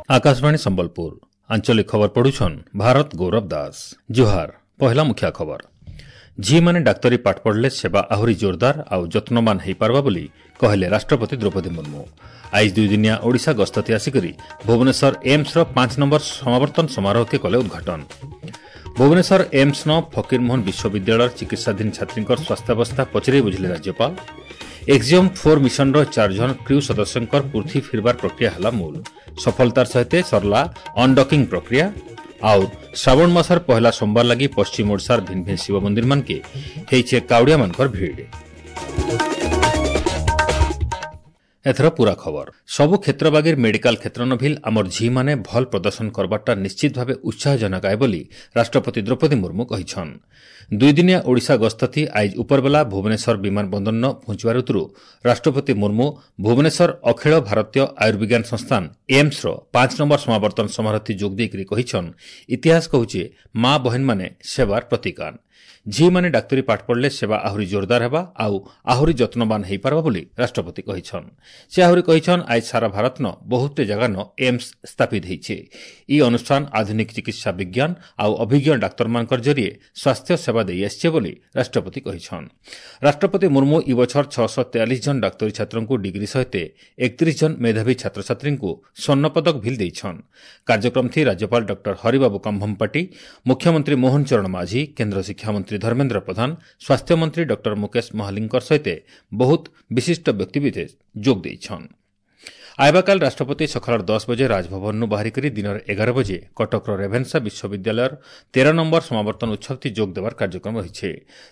ଆକାଶବାଣୀ ସମ୍ବଲପୁର ଆଞ୍ଚଳିକ ଖବର ପଢୁଛନ୍ ଭାରତ ଗୌରବ ଦାସ। ଜୁହାର। ପହିଲା ମୁଖ୍ୟ ଖବର। ଝିଅମାନେ ଡାକ୍ତରୀ ପାଠ ପଢ଼ିଲେ ସେବା ଆହୁରି ଜୋରଦାର ଆଉ ଯତ୍ନବାନ ହୋଇପାରବା ବୋଲି କହିଲେ ରାଷ୍ଟ୍ରପତି ଦ୍ରୌପଦୀ ମୁର୍ମୁ। ଆଇଜ ଦୁଇଦିନିଆ ଓଡ଼ିଶା ଗସ୍ତତି ଆସିକରି ଭୁବନେଶ୍ୱର ଏମ୍ସର 5 ନମ୍ବର ସମାବର୍ତ୍ତନ ସମାରୋହକେ କଲେ ଉଦ୍ଘାଟନ। ଭୁବନେଶ୍ୱର ଏମ୍ସନ ଫକୀରମୋହନ ବିଶ୍ୱବିଦ୍ୟାଳୟର ଚିକିତ୍ସାଧୀନ ଛାତ୍ରୀଙ୍କ ସ୍ୱାସ୍ଥ୍ୟାବସ୍ଥା ପଚରାଇ ବୁଝିଲେ ରାଜ୍ୟପାଳ। ଏକ୍ସିୟମ୍ 4 ମିଶନର 4 ଜଣ କ୍ରିଉ ସଦସ୍ୟଙ୍କର ପୃଥ୍ୱୀ ଫିରବାର ପ୍ରକ୍ରିୟା ହେଲା ମୂଳ। ସଫଳତାର ସହିତ ସରିଲା ଅନଡକିଂ ପ୍ରକ୍ରିୟା। ଆଉ ଶ୍ରାବଣ ମାସର ପହିଲା ସୋମବାର ଲାଗି ପଶ୍ଚିମ ଓଡ଼ିଶାର ଭିନ୍ନ ଭିନ୍ନ ଶିବ ମନ୍ଦିରମାନକେ ହେଇଛେ କାଉଡ଼ିଆମାନଙ୍କର ଭିଡ଼। ଏଥର ପୁରା ଖବର। ସବୁ କ୍ଷେତ୍ର ବାଗିର ମେଡିକାଲ କ୍ଷେତ୍ର ନଭିଲ ଆମର ଝିଅମାନେ ଭଲ ପ୍ରଦର୍ଶନ କରବାରଟା ନିଶ୍ଚିତ ଭାବେ ଉତ୍ସାହଜନକ ଆଏ ବୋଲି ରାଷ୍ଟ୍ରପତି ଦ୍ରୌପଦୀ ମୁର୍ମୁ କହିଛନ୍। ଦୁଇଦିନିଆ ଓଡ଼ିଶା ଗସ୍ତଥି ଆଇଜ ଉପରବେଲା ଭୁବନେଶ୍ୱର ବିମାନ ବନ୍ଦରନ ପହଞ୍ଚିବାର ଉତରୁ ରାଷ୍ଟ୍ରପତି ମୁର୍ମୁ ଭୁବନେଶ୍ୱର ଅଖିଳ ଭାରତୀୟ ଆୟୁର୍ବିଜ୍ଞାନ ସଂସ୍ଥାନ ଏମ୍ସର 5 ନମ୍ବର ସମାବର୍ତ୍ତନ ସମାରୋହଥି ଯୋଗ ଦେଇକରି କହିଛନ୍, ଇତିହାସ କହୁଛେ ମା ବହେନମାନେ ସେବାର ପ୍ରତୀକାନ। ଝିଅମାନେ ଡାକ୍ତରୀ ପାଠ ପଢ଼ିଲେ ସେବା ଆହୁରି ଜୋରଦାର ହେବା ଆଉ ଆହୁରି ଯତ୍ନବାନ ହୋଇପାରବା ବୋଲି ରାଷ୍ଟ୍ରପତି କହିଛନ୍। ସେ ଆହୁରି କହିଛନ୍, ଆজ ସାରା ଭାରତନ ବହୁତେ ଜାଗାନ ଏମ୍ସ ସ୍ଥାପିତ ହେଇଛେ। ଇ ଅନୁଷ୍ଠାନ ଆଧୁନିକ ଚିକିତ୍ସା ବିଜ୍ଞାନ ଆଉ ଅଭିଜ୍ଞ ଡାକ୍ତରମାନଙ୍କର ଜରିଏ ସ୍ୱାସ୍ଥ୍ୟ ସେବା ଦେଇ ଆସିଛେ ବୋଲି ରାଷ୍ଟ୍ରପତି କହିଛନ୍। ରାଷ୍ଟ୍ରପତି ମୁର୍ମୁ ଇ ବଛର 643 ଜଣ ଡାକ୍ତରୀ ଛାତ୍ରଙ୍କୁ ଡିଗ୍ରୀ ସହିତ 31 ଜଣ ମେଧାବୀ ଛାତ୍ରଛାତ୍ରୀଙ୍କୁ ସ୍ୱର୍ଣ୍ଣପଦକ ଭିଲ୍ ଦେଇଛନ୍। କାର୍ଯ୍ୟକ୍ରମ ଥି ରାଜ୍ୟପାଳ ଡକ୍ଟର ହରିବାବୁ କମ୍ଭମପାଟି, ମୁଖ୍ୟମନ୍ତ୍ରୀ ମୋହନ ଚରଣ ମାଝୀ, କେନ୍ଦ୍ର ଶିକ୍ଷାମନ୍ତ୍ରୀ ଧର୍ମେନ୍ଦ୍ର ପ୍ରଧାନ, ସ୍ୱାସ୍ଥ୍ୟମନ୍ତ୍ରୀ ଡକ୍ଟର ମୁକେଶ ମହାଲିଙ୍କର ସହିତ ବହୁତ ବିଶିଷ୍ଟ ବ୍ୟକ୍ତିବିଶେଷ ଯୋଗ ଦେଇଛନ୍। ଆଇବାକାଲ ରାଷ୍ଟ୍ରପତି ସକାଳ 10 ବଜେ ରାଜଭବନରୁ ବାହାରିକରି ଦିନର 11 ବଜେ କଟକର ରେଭେନ୍ସା ବିଶ୍ୱବିଦ୍ୟାଳୟର 13 ନମ୍ବର ସମାବର୍ତ୍ତନ ଉତ୍ସବଥି ଯୋଗ ଦେବାର କାର୍ଯ୍ୟକ୍ରମ ରହିছে।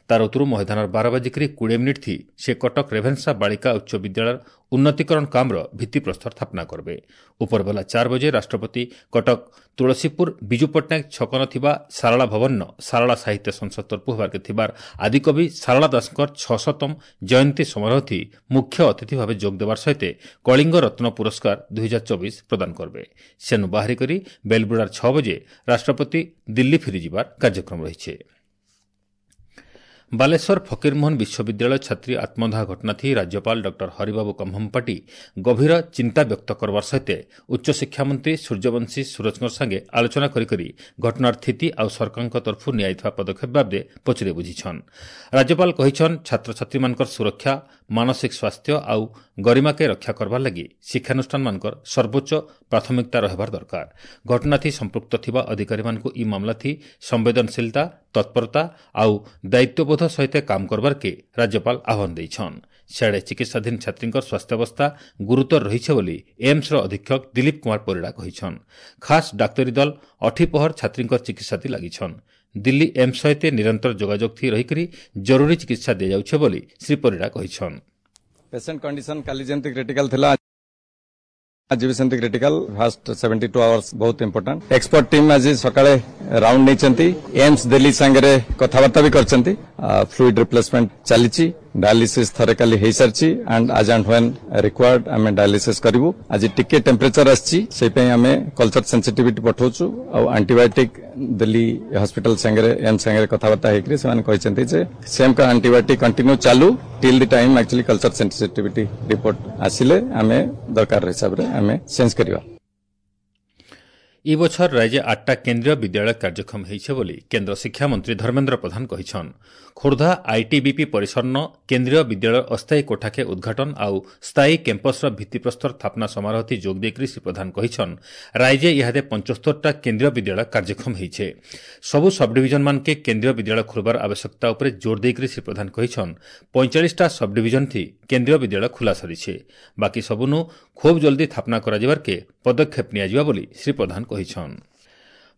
ତାର ଉତ୍ତରୁ ମଇଦାନର 12:20 ଥି ସେ କଟକ ରେଭେନ୍ସା ବାଳିକା ଉଚ୍ଚ ବିଦ୍ୟାଳୟର ଉନ୍ନତିକରଣ କାମର ଭିତ୍ତିପ୍ରସ୍ତର ସ୍ଥାପନା କରିବେ। ଉପରବେଲା 4 ବଜେ ରାଷ୍ଟ୍ରପତି କଟକ ତୁଳସୀପୁର ବିଜୁ ପଟ୍ଟନାୟକ ଛକନ ଥିବା ସାରଳା ଭବନ ସାରଳା ସାହିତ୍ୟ ସଂସଦ ତରଫୁ ହେବାର୍କେ ଥିବାର ଆଦିକବି ସାରଳା ଦାସଙ୍କର 600ତମ ଜୟନ୍ତୀ ସମାରୋହଥି ମୁଖ୍ୟ ଅତିଥି ଭାବେ ଯୋଗ ଦେବାର ସହିତ କଳିଙ୍ଗ ରତ୍ନ ପୁରସ୍କାର 2024 ପ୍ରଦାନ କରିବେ। ସେନୁ ବାହାରି କରି ବେଲବୁଡ଼ାର 6 ବଜେ ରାଷ୍ଟ୍ରପତି ଦିଲ୍ଲୀ ଫେରିଯିବାର କାର୍ଯ୍ୟକ୍ରମ ରହିଛି। ବାଲେଶ୍ୱର ଫକୀରମୋହନ ବିଶ୍ୱବିଦ୍ୟାଳୟ ଛାତ୍ରୀ ଆତ୍ମଦାହ ଘଟଣାଥି ରାଜ୍ୟପାଳ ଡକ୍ଟର ହରିବାବୁ କମ୍ଭମପାଟି ଗଭୀର ଚିନ୍ତା ବ୍ୟକ୍ତ କରବାର ସହିତ ଉଚ୍ଚଶିକ୍ଷାମନ୍ତ୍ରୀ ସୂର୍ଯ୍ୟବଂଶୀ ସୁରଜଙ୍କ ସାଙ୍ଗେ ଆଲୋଚନା କରି ଘଟଣାର ସ୍ଥିତି ଆଉ ସରକାରଙ୍କ ତରଫରୁ ନିଆଯାଇଥିବା ପଦକ୍ଷେପ ବାବଦେ ପଚରାଇ ବୁଝିଛନ୍। ରାଜ୍ୟପାଳ କହିଛନ୍, ଛାତ୍ରଛାତ୍ରୀମାନଙ୍କର ସୁରକ୍ଷା, ମାନସିକ ସ୍ୱାସ୍ଥ୍ୟ ଆଉ ଗରିମାକେ ରକ୍ଷା କରବାର ଲାଗି ଶିକ୍ଷାନୁଷ୍ଠାନମାନଙ୍କର ସର୍ବୋଚ୍ଚ ପ୍ରାଥମିକତା ରହିବାର ଦରକାର। ଘଟଣାଥି ସମ୍ପୃକ୍ତ ଥିବା ଅଧିକାରୀମାନଙ୍କୁ ଇ ମାମଲାଥି ସମ୍ବେଦନଶୀଳତା, ତତ୍ପରତା ଆଉ ଦାୟିତ୍ୱବୋଧ ସହିତ କାମ କରବାର୍କେ ରାଜ୍ୟପାଳ ଆହ୍ୱାନ ଦେଇଛନ୍। ସିଆଡ଼େ ଚିକିତ୍ସାଧୀନ ଛାତ୍ରୀଙ୍କର ସ୍ୱାସ୍ଥ୍ୟାବସ୍ଥା ଗୁରୁତର ରହିছে ବୋଲି ଏମ୍ସର ଅଧୀକ୍ଷକ ଦିଲ୍ଲୀପ କୁମାର ପରିଡ଼ା କହିଛନ୍। ଖାସ୍ ଡାକ୍ତରୀ ଦଳ ଅଠିପହର ଛାତ୍ରୀଙ୍କର ଚିକିତ୍ସାଥି ଲାଗିଛନ୍। ଦିଲ୍ଲୀ ଏମ୍ସ ସହିତ ନିରନ୍ତର ଯୋଗାଯୋଗ ଥି ରହିକରି ଜରୁରୀ ଚିକିତ୍ସା ଦିଆଯାଉଛି ବୋଲି ଶ୍ରୀ ପରିଡ଼ା କହିଛନ୍। ପେସେଣ୍ଟ କଣ୍ଡିସନ କାଲି ଯେମିତି କ୍ରିଟିକାଲ ଥିଲା, ଆଜି ବି ସେମିତି କ୍ରିଟିକାଲ। ଫାଷ୍ଟ 72 ଆୱାର୍ସ ବହୁତ ଇମ୍ପୋର୍ଟାଣ୍ଟ। ଏକ୍ସପର୍ଟ ଟିମ୍ ଆଜି ସକାଳେ ରାଉଣ୍ଡ ନେଇଛନ୍ତି, ଏମ୍ସ ଦିଲ୍ଲୀ ସାଙ୍ଗରେ କଥାବାର୍ତ୍ତା ବି କରିଛନ୍ତି। ଫ୍ଲୁଇଡ୍ ରିପ୍ଲେସମେଣ୍ଟ ଚାଲିଛି, ଡାୟାଲିସିସ୍ ଥରେ କାଲି ହେଇସାରିଛି and as and when required ଆମେ ଡାୟାଲିସିସ୍ କରିବୁ। ଆଜି ଟିକେ ଟେମ୍ପରେଚର ଆସିଛି, ସେଇପାଇଁ ଆମେ କଲଚର ସେନ୍ସିଟିଭିଟି ପଠାଉଛୁ ଆଉ ଆଣ୍ଟିବାୟୋଟିକ୍ ଦିଲ୍ଲୀ ହସ୍ପିଟାଲ ସାଙ୍ଗରେ ଏମ୍ସ ସାଙ୍ଗରେ କଥାବାର୍ତ୍ତା ହେଇକରି ସେମାନେ କହିଛନ୍ତି ଯେ ସେମ୍ ଆଣ୍ଟିବାୟୋଟିକ୍ କଣ୍ଟିନ୍ୟୁ ଚାଲୁ till the time actually culture sensitivity report ଆସିଲେ ଆମେ ଦରକାର ହିସାବରେ ଆମେ ଚେଞ୍ଜ କରିବା। ଇ ବଛର ରାଜ୍ୟ 8ଟା କେନ୍ଦ୍ରୀୟ ବିଦ୍ୟାଳୟ କାର୍ଯ୍ୟକ୍ଷମ ହେଇছে ବୋଲି କେନ୍ଦ୍ର ଶିକ୍ଷାମନ୍ତ୍ରୀ ଧର୍ମେନ୍ଦ୍ର ପ୍ରଧାନ କହିଛନ୍। ଖୋର୍ଦ୍ଧା ଆଇଟିବିପି ପରିସରନ କେନ୍ଦ୍ରୀୟ ବିଦ୍ୟାଳୟ ଅସ୍ଥାୟୀ କୋଠାକେ ଉଦ୍ଘାଟନ ଆଉ ସ୍ଥାୟୀ କ୍ୟାମ୍ପସର ଭିତ୍ତିପ୍ରସ୍ତର ସ୍ଥାପନା ସମାରୋହଥି ଯୋଗ ଦେଇକରି ଶ୍ରୀ ପ୍ରଧାନ କହିଛନ୍, ରାଜ୍ୟ ଇହାଦେ 75ଟା କେନ୍ଦ୍ରୀୟ ବିଦ୍ୟାଳୟ କାର୍ଯ୍ୟକ୍ଷମ ହେଇଛେ। ସବୁ ସବଡିଭିଜନମାନକେ କେନ୍ଦ୍ରୀୟ ବିଦ୍ୟାଳୟ ଖୋଲବାର ଆବଶ୍ୟକତା ଉପରେ ଜୋର ଦେଇକରି ଶ୍ରୀ ପ୍ରଧାନ କହିଛନ୍, 45ଟା ସବଡିଭିଜନ ଥି କେନ୍ଦ୍ରୀୟ ବିଦ୍ୟାଳୟ ଖୋଲା ସରିছে, ବାକି ସବୁନୁ ଖୁବ୍ ଜଲ୍ଦି ସ୍ଥାପନା କରାଯିବାର୍କେ ପଦକ୍ଷେପ ନିଆଯିବା ବୋଲି ଶ୍ରୀ ପ୍ରଧାନ କହିଛନ୍।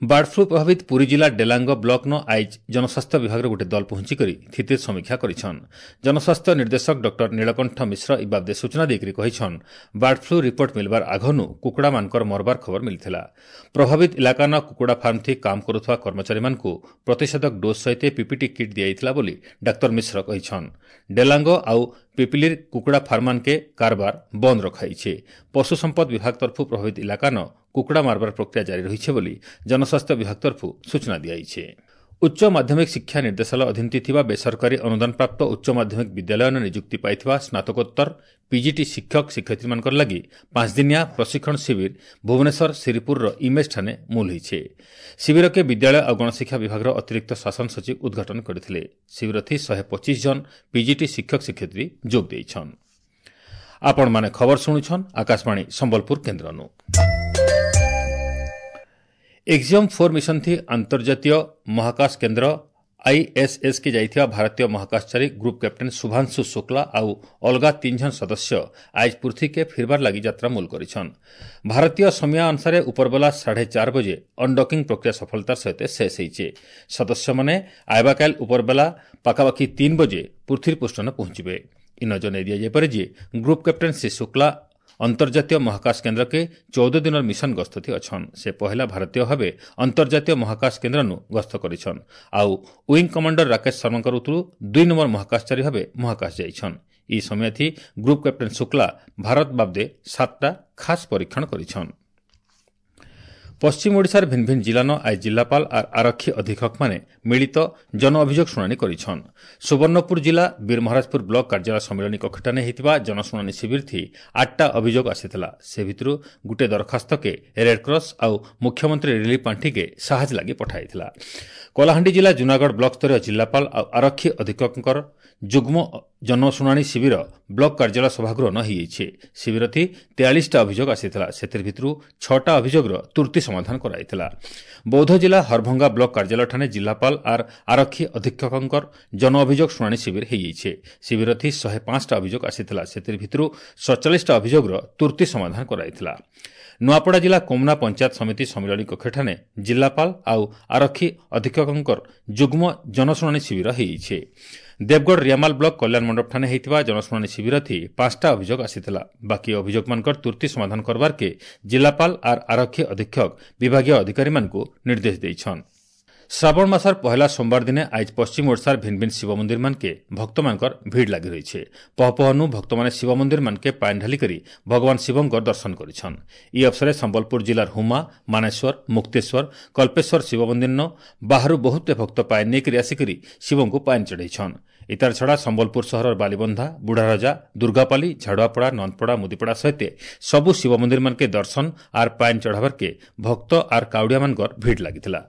ବାର୍ଡ ଫ୍ଲୁ ପ୍ରଭାବିତ ପୁରୀ ଜିଲ୍ଲା ଡେଲାଙ୍ଗ ବ୍ଲକନ ଆଇଜ ଜନସ୍ୱାସ୍ଥ୍ୟ ବିଭାଗର ଗୋଟିଏ ଦଳ ପହଞ୍ଚିକରି ସ୍ଥିତି ସମୀକ୍ଷା କରିଛନ୍। ଜନସ୍ୱାସ୍ଥ୍ୟ ନିର୍ଦ୍ଦେଶକ ଡକ୍ଟର ନୀଳକଣ୍ଠ ମିଶ୍ର ଇ ବାବଦେ ସୂଚନା ଦେଇକରି କହିଛନ୍, ବାର୍ଡ ଫ୍ଲୁ ରିପୋର୍ଟ ମିଲବାର ଆଘନୁ କୁକୁଡ଼ାମାନଙ୍କର ମରବାର ଖବର ମିଳିଥିଲା। ପ୍ରଭାବିତ ଇଲାକାନ କୁକୁଡ଼ା ଫାର୍ମ ଥି କାମ କରୁଥିବା କର୍ମଚାରୀମାନଙ୍କୁ ପ୍ରତିଷେଧକ ଡୋଜ୍ ସହିତ ପିପିଟି କିଟ୍ ଦିଆଯାଇଥିଲା ବୋଲି ଡାକ୍ତର ମିଶ୍ର କହିଛନ୍। ଡେଲାଙ୍ଗ ଆଉ ପିପିଲିର କୁକୁଡ଼ା ଫାର୍ମାନକେ କାରବାର ବନ୍ଦ ରଖାଇছে। ପଶୁ ସମ୍ପଦ ବିଭାଗ ତରଫରୁ ପ୍ରଭାବିତ ଇଲାକାନ କୁକୁଡ଼ା ମାରବାର ପ୍ରକ୍ରିୟା ଜାରି ରହିছে ବୋଲି ଜନସ୍ୱାସ୍ଥ୍ୟ ବିଭାଗ ତରଫରୁ ସୂଚନା ଦିଆଯାଇଛି। ଉଚ୍ଚ ମାଧ୍ୟମିକ ଶିକ୍ଷା ନିର୍ଦ୍ଦେଶାଳୟ ଅଧୀନରେ ଥିବା ବେସରକାରୀ ଅନୁଦାନପ୍ରାପ୍ତ ଉଚ୍ଚ ମାଧ୍ୟମିକ ବିଦ୍ୟାଳୟରେ ନିଯୁକ୍ତି ପାଇଥିବା ସ୍ନାତକୋତ୍ତର ପିଜିଟି ଶିକ୍ଷକ ଶିକ୍ଷୟିତ୍ରୀମାନଙ୍କର ଲାଗି 5 ଦିନିଆ ପ୍ରଶିକ୍ଷଣ ଶିବିର ଭୁବନେଶ୍ୱର ଶିରିପୁରର ଇମେଜ୍ଠାରେ ମୂଲ ହୋଇଛି। ଶିବିରକେ ବିଦ୍ୟାଳୟ ଆଉ ଗଣଶିକ୍ଷା ବିଭାଗର ଅତିରିକ୍ତ ଶାସନ ସଚିବ ଉଦ୍ଘାଟନ କରିଥିଲେ। ଶିବିରଥି 125 ଜଣ ପିଜିଟି ଶିକ୍ଷକ ଶିକ୍ଷୟିତ୍ରୀ ଯୋଗ ଦେଇଛନ୍। ଆପଣମାନେ ଖବର ଶୁଣୁଛନ୍ ଆକାଶବାଣୀ ସମ୍ବଲପୁର କେନ୍ଦ୍ରନୁ। ଏକ୍ସିୟମ୍ 4 ମିଶନ ଥି ଆନ୍ତର୍ଜାତୀୟ ମହାକାଶ କେନ୍ଦ୍ର ଆଇଏସ୍ଏସ୍ କେ ଯାଇଥିବା ଭାରତୀୟ ମହାକାଶଚାରୀ ଗ୍ରୁପ୍ କ୍ୟାପ୍ଟେନ୍ ଶୁଭାଂଶୁ ଶୁକ୍ଲା ଆଉ ଅଲଗା 3 ଜଣ ସଦସ୍ୟ ଆଜ ପୃଥ୍ୱୀକେ ଫିରବାର ଲାଗି ଯାତ୍ରା ମୂଲ କରିଛନ୍। ଭାରତୀୟ ସମୟ ଅନୁସାରେ ଉପରବେଲା 4:30 ବଜେ ଅନଡକିଂ ପ୍ରକ୍ରିୟା ସଫଳତାର ସହିତ ଶେଷ ହୋଇছে। ସଦସ୍ୟମାନେ ଆଇବାକାଲ ଉପରବେଲା ପାଖାପାଖି 3 ବଜେ ପୃଥ୍ୱୀ ପୃଷ୍ଠନ ପହଞ୍ଚିବେ। ଇନ ଜଣାଇ ଦିଆଯାଇପାରେ ଯେ ଗ୍ରୁପ୍ କ୍ୟାପ୍ଟେନ୍ ଶ୍ରୀ ଶୁକ୍ଲା ଅନ୍ତର୍ଜାତୀୟ ମହାକାଶ କେନ୍ଦ୍ରକେ 14 ଦିନର ମିଶନ ଗସ୍ତଥି ଅଛନ୍। ସେ ପହିଲା ଭାରତୀୟ ଭାବେ ଅନ୍ତର୍ଜାତୀୟ ମହାକାଶ କେନ୍ଦ୍ରନୁ ଗସ୍ତ କରିଛନ୍ ଆଉ ୱିଙ୍ଗ କମାଣ୍ଡର ରାକେଶ ଶର୍ମାଙ୍କର ଉତରୁ 2 ନମ୍ବର ମହାକାଶଚାରୀ ଭାବେ ମହାକାଶ ଯାଇଛନ୍। ଇ ସମୟଥି ଗ୍ରୁପ୍ କ୍ୟାପ୍ଟେନ୍ ଶୁକ୍ଲା ଭାରତ ବାବଦେ 7ଟା ଖାସ୍ ପରୀକ୍ଷଣ କରିଛନ୍। ପଶ୍ଚିମ ଓଡ଼ିଶାର ଭିନ୍ନ ଭିନ୍ନ ଜିଲ୍ଲାନ ଆজ ଜିଲ୍ଲାପାଳ ଆର୍ ଆରକ୍ଷୀ ଅଧୀକ୍ଷକମାନେ ମିଳିତ ଜନ ଅଭିଯୋଗ ଶୁଣାଣି କରିଛନ୍। ସୁବର୍ଣ୍ଣପୁର ଜିଲ୍ଲା ବୀରମହାରାଜପୁର ବ୍ଲକ କାର୍ଯ୍ୟାଳୟ ସମ୍ମିଳନୀ କକ୍ଷଠାନେ ହୋଇଥିବା ଜନଶୁଣାଣି ଶିବିରଥି 8ଟା ଅଭିଯୋଗ ଆସିଥିଲା। ସେ ଭିତରୁ ଗୋଟିଏ ଦରଖାସ୍ତକେ ରେଡ୍କ୍ରସ୍ ଆଉ ମୁଖ୍ୟମନ୍ତ୍ରୀ ରିଲିଫ୍ ପାଣ୍ଠିକେ ସାହାଯ୍ୟ ଲାଗି ପଠାଇଥିଲା। କଳାହାଣ୍ଡି ଜିଲ୍ଲା ଜୁନାଗଡ଼ ବ୍ଲକ ସ୍ତରୀୟ ଜିଲ୍ଲାପାଳ ଆଉ ଆରକ୍ଷୀ ଅଧୀକ୍ଷକଙ୍କର ଯୁଗ୍ମ ଜନଶୁଣାଣି ଶିବିର ବ୍ଲକ କାର୍ଯ୍ୟାଳୟ ସଭାଗୃହ ନ ହୋଇଯାଇଛି। ଶିବିରଥି 43ଟା ଅଭିଯୋଗ ଆସିଥିଲା। ସେଥିର ଭିତରୁ 6ଟା ଅଭିଯୋଗର ତୁର୍ତ୍ତି ସମାଧାନ କରାଯାଇଥିଲା। ବୌଦ୍ଧ ଜିଲ୍ଲା ହରଭଙ୍ଗା ବ୍ଲକ କାର୍ଯ୍ୟାଳୟଠାରେ ଜିଲ୍ଲାପାଳ ଆର୍ ଆରକ୍ଷୀ ଅଧୀକ୍ଷକଙ୍କର ଜନ ଅଭିଯୋଗ ଶୁଣାଣି ଶିବିର ହୋଇଯାଇଛି। ଶିବିରଥି 105ଟା ଅଭିଯୋଗ ଆସିଥିଲା। ସେଥିର ଭିତରୁ 47ଟା ଅଭିଯୋଗର ତୁର୍ତ୍ତି ସମାଧାନ କରାଯାଇଥିଲା। ନୂଆପଡ଼ା ଜିଲ୍ଲା କୋମନା ପଞ୍ଚାୟତ ସମିତି ସମ୍ମିଳନୀ କକ୍ଷଠାରେ ଜିଲ୍ଲାପାଳ ଆଉ ଆରକ୍ଷୀ ଅଧୀକ୍ଷକଙ୍କର ଯୁଗ୍ମ ଜନଶୁଣାଣି ଶିବିର ହୋଇଯାଇଛି। ଦେବଗଡ଼ ରିଆମାଲ ବ୍ଲକ କଲ୍ୟାଣ ମଣ୍ଡପଠାରେ ହୋଇଥିବା ଜନଶୁଣାଣି ଶିବିରଥି 5ଟା ଅଭିଯୋଗ ଆସିଥିଲା। ବାକି ଅଭିଯୋଗମାନଙ୍କର ତୁର୍ତ୍ତି ସମାଧାନ କରବାର୍କେ ଜିଲ୍ଲାପାଳ ଆର୍ ଆରକ୍ଷୀ ଅଧୀକ୍ଷକ ବିଭାଗୀୟ ଅଧିକାରୀମାନଙ୍କୁ ନିର୍ଦ୍ଦେଶ ଦେଇଛନ୍। ଶ୍ରାବଣ ମାସର ପହିଲା ସୋମବାର ଦିନେ ଆজ ପଶ୍ଚିମ ଓଡ଼ିଶାର ଭିନ୍ନ ଭିନ୍ନ ଶିବ ମନ୍ଦିର ମାନକେ ଭକ୍ତମାନଙ୍କର ଭିଡ଼ ଲାଗି ରହିছে। ପହପହନୁ ଭକ୍ତମାନେ ଶିବ ମନ୍ଦିର ମାନକେ ପାଣି ଢାଲି କରି ଭଗବାନ ଶିବଙ୍କର ଦର୍ଶନ କରିଛନ୍। ଇ ଅବସରେ ସମ୍ବଲପୁର ଜିଲ୍ଲାର ହୁମା, ମାନେଶ୍ୱର, ମୁକ୍ତେଶ୍ୱର, କଳ୍ପେଶ୍ୱର ଶିବ ମନ୍ଦିର ବାହାରୁ ବହୁତ ଭକ୍ତ ପାଣି ନେଇକରି ଆସିକରି ଶିବଙ୍କୁ ପାଣି ଚଢ଼େଇଛନ୍। ଇତାର ଛଡ଼ା ସମ୍ବଲପୁର ସହରର ବାଲିବନ୍ଧା, ବୁଢ଼ାରଜା, ଦୁର୍ଗାପାଲି, ଝାଡ଼ୁଆପଡ଼ା, ନନ୍ଦପଡ଼ା, ମୁଦିପଡ଼ା ସହିତ ସବୁ ଶିବ ମନ୍ଦିର ମାନକେ ଦର୍ଶନ ଆର୍ ପାଣି ଚଢ଼ାବାର୍କେ ଭକ୍ତ ଆର୍ କାଉଡ଼ିଆମାନଙ୍କର ଭିଡ଼ ଲାଗିଥିଲା।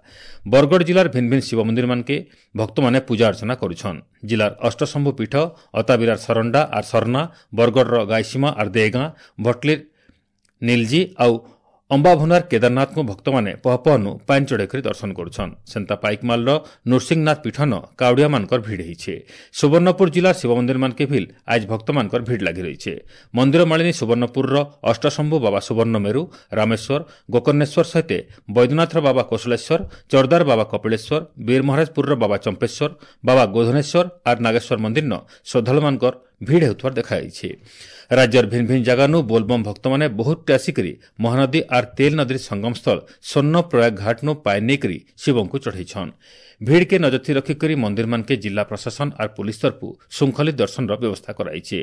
ବରଗଡ଼ ଜିଲ୍ଲାର ଭିନ୍ନ ଭିନ୍ନ ଶିବ ମନ୍ଦିର ମାନକେ ଭକ୍ତମାନେ ପୂଜା ଅର୍ଚ୍ଚନା କରୁଛନ୍। ଜିଲ୍ଲାର ଅଷ୍ଟଶମ୍ଭୁ ପୀଠ ଅତାବିରାର ସରଣ୍ଡା ଆର୍ ସରନା, ବରଗଡ଼ର ଗାଇସୀମା ଆର୍ ଦେଗାଁ, ଭଟଲିର ନୀଲଜି ଆଉ ଅମ୍ବାଭୁନାର କେଦାରନାଥଙ୍କୁ ଭକ୍ତମାନେ ପହପହନୁ ପାଣି ଚଢ଼େଇ କରି ଦର୍ଶନ କରୁଛନ୍। ସେନ୍ତା ପାଇକମାଲର ନୃସିଂହନାଥ ପୀଠନ କାଉଡ଼ିଆମାନଙ୍କର ଭିଡ଼ ହେଇଛେ। ସୁବର୍ଣ୍ଣପୁର ଜିଲ୍ଲା ଶିବ ମନ୍ଦିର ମାନକେ ଭିଲ୍ ଆଜ ଭକ୍ତମାନଙ୍କର ଭିଡ଼ ଲାଗି ରହିଛେ। ମନ୍ଦିର ମାଳିନୀ ସୁବର୍ଣ୍ଣପୁରର ଅଷ୍ଟଶମ୍ଭୁ ବାବା ସୁବର୍ଣ୍ଣମେରୁ, ରାମେଶ୍ୱର, ଗୋକର୍ଣ୍ଣେଶ୍ୱର ସହିତ ବୈଦ୍ୟନାଥର ବାବା କୌଶଲେଶ୍ୱର, ଚର୍ଦାର ବାବା କପିଳେଶ୍ୱର, ବୀରମହାରାଜପୁରର ବାବା ଚମ୍ପେଶ୍ୱର, ବାବା ଗୋଧନେଶ୍ୱର ଆର୍ ନାଗେଶ୍ୱର ମନ୍ଦିରନ ଶ୍ରଦ୍ଧାଳୁମାନଙ୍କର ଭିଡ଼ ହେଉଥିବାର ଦେଖାଯାଇଛି। ରାଜ୍ୟର ଭିନ୍ନ ଭିନ୍ନ ଜାଗାନୁ ବୋଲବମ୍ ଭକ୍ତମାନେ ବହୁତ ଆସିକରି ମହାନଦୀ ଆର୍ ତେଲ ନଦୀର ସଙ୍ଗମସ୍ଥଳ ସ୍ୱର୍ଣ୍ଣପ୍ରୟାଗ ଘାଟନୁ ପାଣି ନେଇକରି ଶିବଙ୍କୁ ଚଢ଼େଇଛନ୍। ଭିଡ଼କେ ନଜରଥି ରଖିକରି ମନ୍ଦିରମାନକେ ଜିଲ୍ଲା ପ୍ରଶାସନ ଆର୍ ପୁଲିସ ତରଫୁ ଶୃଙ୍ଖଳିତ ଦର୍ଶନର ବ୍ୟବସ୍ଥା କରାଯାଇଛି।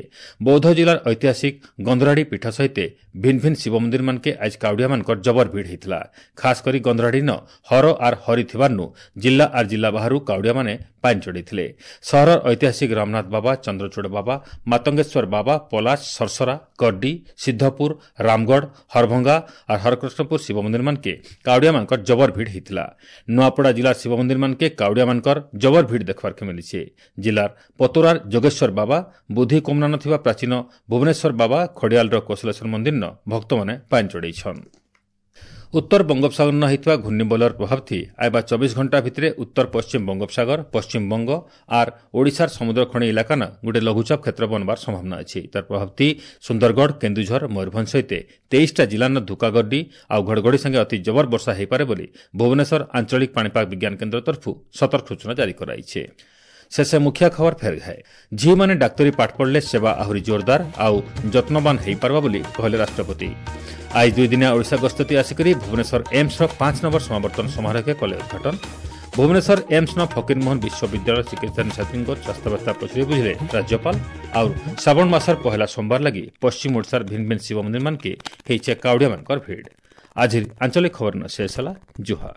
ବୌଦ୍ଧ ଜିଲ୍ଲାର ଐତିହାସିକ ଗନ୍ଧରାଡ଼ି ପୀଠ ସହିତ ଭିନ୍ନ ଭିନ୍ନ ଶିବ ମନ୍ଦିରମାନକେ ଆଜ କାଉଡ଼ିଆମାନଙ୍କର ଜବର ଭିଡ଼ ହେଇଥିଲା। ଖାସ୍ କରି ଗନ୍ଧରାଡ଼ିନ ହର ଆର୍ ହରି ଥିବାରନୁ ଜିଲ୍ଲା ଆର୍ ଜିଲ୍ଲା ବାହାରୁ କାଉଡ଼ିଆମାନେ ପାଣି ଚଢ଼େଇଥିଲେ। ସହରର ଐତିହାସିକ ରାମନାଥ ବାବା, ଚନ୍ଦ୍ରଚୂଡ଼ ବାବା, ମାତଙ୍ଗେଶ୍ୱର ବାବା, ପଲାଶ, ସରସରା, କଡ୍ଡି, ସିଦ୍ଧପୁର, ରାମଗଡ଼, ହରଭଙ୍ଗା ଆର୍ ହରକୃଷ୍ଣପୁର ଶିବ ମନ୍ଦିରମାନକେ କାଉଡ଼ିଆମାନଙ୍କର ଜବର ଭିଡ଼ ହେଇଥିଲା। ନୂଆପଡ଼ା ଜିଲ୍ଲା ଶିବ ମନ୍ଦିରମାନକେ କାଉଡ଼ିଆମାନଙ୍କର ଜବର ଭିଡ଼ ଦେଖିବାର୍କେ ମିଳିছে। ଜିଲ୍ଲାର ପତୋରାର ଯୋଗେଶ୍ୱର ବାବା, ବୁଦ୍ଧି କୋମନାନ ଥିବା ପ୍ରାଚୀନ ଭୁବନେଶ୍ୱର ବାବା, ଖଡ଼ିଆଲର କୌଶଲେଶ୍ୱର ମନ୍ଦିରନ ଭକ୍ତମାନେ ପାଣି ଚଢ଼େଇଛନ୍। ଉତ୍ତର ବଙ୍ଗୋପସାଗର ହୋଇଥିବା ଘୂର୍ଣ୍ଣିବଳୟର ପ୍ରଭାବଥି ଆଇବା 24 ଘଣ୍ଟା ଭିତରେ ଉତ୍ତର ପଶ୍ଚିମ ବଙ୍ଗୋପସାଗର, ପଶ୍ଚିମବଙ୍ଗ ଆର୍ ଓଡ଼ିଶାର ସମୁଦ୍ର ଖଣି ଇଲାକାନ ଗୋଟେ ଲଘୁଚାପ କ୍ଷେତ୍ର ବନବାର ସମ୍ଭାବନା ଅଛି। ତାର ପ୍ରଭାବଥି ସୁନ୍ଦରଗଡ଼, କେନ୍ଦୁଝର, ମୟୂରଭଞ୍ଜ ସହିତ 23ଟା ଜିଲ୍ଲାର ଧୁକାଗଡ୍ଡି ଆଉ ଘଡ଼ଘଡ଼ି ସାଙ୍ଗେ ଅତି ଜବର ବର୍ଷା ହୋଇପାରେ ବୋଲି ଭୁବନେଶ୍ୱର ଆଞ୍ଚଳିକ ପାଣିପାଗ ବିଜ୍ଞାନ କେନ୍ଦ୍ର ତରଫରୁ ସତର୍କ ସୂଚନା ଜାରି କରାଯାଇଛି। ଶେଷେ ମୁଖ୍ୟ ଖବର ଫେର ଘାଏ। ଝିଅମାନେ ଡାକ୍ତରୀ ପାଠ ପଢ଼ିଲେ ସେବା ଆହୁରି ଜୋରଦାର ଆଉ ଯତ୍ନବାନ ହୋଇପାରିବ ବୋଲି କହିଲେ ରାଷ୍ଟ୍ରପତି। ଆଜି 2 ଦିନିଆ ଓଡ଼ିଶା ଗସ୍ତତି ଆସିକରି ଭୁବନେଶ୍ୱର ଏମ୍ସର 5 ନମ୍ବର ସମାବର୍ତ୍ତନ ସମାରୋହକେ କଲେ ଉଦ୍ଘାଟନ। ଭୁବନେଶ୍ୱର ଏମ୍ସନ ଫକୀରମୋହନ ବିଶ୍ୱବିଦ୍ୟାଳୟ ଚିକିତ୍ସା ଛାତ୍ରୀଙ୍କ ସ୍ୱାସ୍ଥ୍ୟାବସ୍ଥା ପଚାରି ବୁଝିଲେ ରାଜ୍ୟପାଳ। ଆଉ ଶ୍ରାବଣ ମାସର ପହିଲା ସୋମବାର ଲାଗି ପଶ୍ଚିମ ଓଡ଼ିଶାର ଭିନ୍ନ ଭିନ୍ନ ଶିବ ମନ୍ଦିରମାନକେ ହେଇଛେ କାଉଡ଼ିଆମାନଙ୍କର ଭିଡ଼। ଆଜିର ଆଞ୍ଚଳିକ ଖବର ଶେଷ ହେଲା। ଜୁହାର।